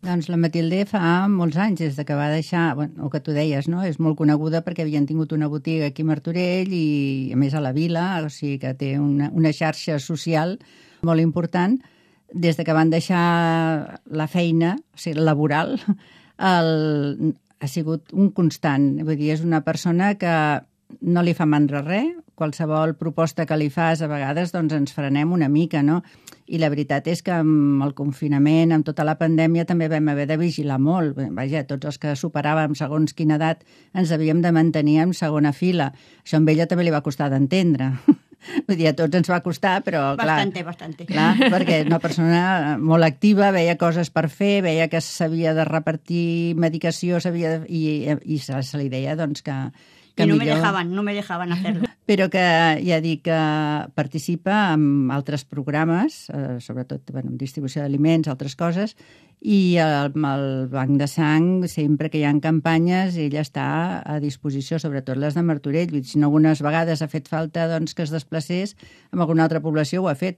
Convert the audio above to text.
Doncs la Matilde fa molts anys, des de que va deixar, bueno, el que tu deies, no? És molt coneguda perquè havien tingut una botiga aquí a Martorell i, a més, a la vila, o sigui que té una xarxa social molt important. Des de que van deixar la feina, o sigui, laboral, ha sigut un constant. Vull dir, és una persona que no li fa mandra res, qualsevol proposta que li fas, a vegades doncs ens frenem una mica, no? I la veritat és que amb el confinament, amb tota la pandèmia, també vam haver de vigilar molt. Vaja, tots els que superàvem segons quina edat ens havíem de mantenir en segona fila. Això amb ella també li va costar d'entendre. Vull dir, a tots ens va costar, però clar... Bastante. Clar, perquè una persona molt activa, veia coses per fer, veia que s'havia de repartir medicació, i se li deia doncs, que I no millor... no me dejaban hacerlo. Però que, ja dic, que participa en altres programes, sobretot en distribució d'aliments, altres coses, i amb el Banc de Sang, sempre que hi ha campanyes, ella està a disposició, sobretot les de Martorell. Si no, algunes vegades ha fet falta doncs, que es desplacés amb alguna altra població, ho ha fet.